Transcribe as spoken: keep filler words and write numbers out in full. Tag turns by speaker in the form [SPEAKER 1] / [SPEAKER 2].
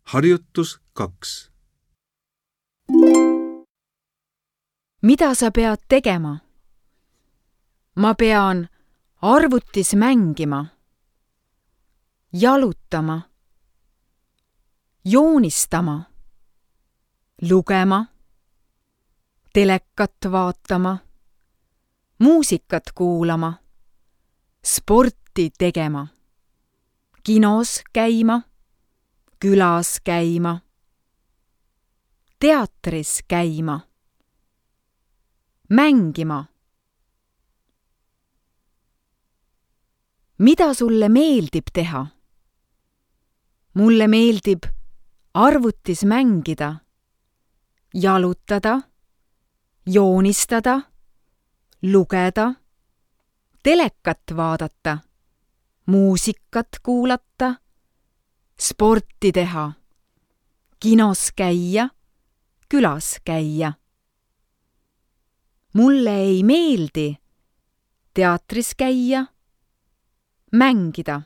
[SPEAKER 1] Harjutus kaks.
[SPEAKER 2] Mida sa pead tegema? Ma pean arvutis mängima, jalutama, joonistama, lugema, telekat vaatama, muusikat kuulama, sporti tegema, kinos käima, külas käima, teatris käima, mängima. Mida sulle meeldib teha? Mulle meeldib arvutis mängida, jalutada, joonistada, lugeda, telekat vaadata, muusikat kuulata, sporti teha, kinos käia, külas käia. Mulle ei meeldi teatris käia, mängida.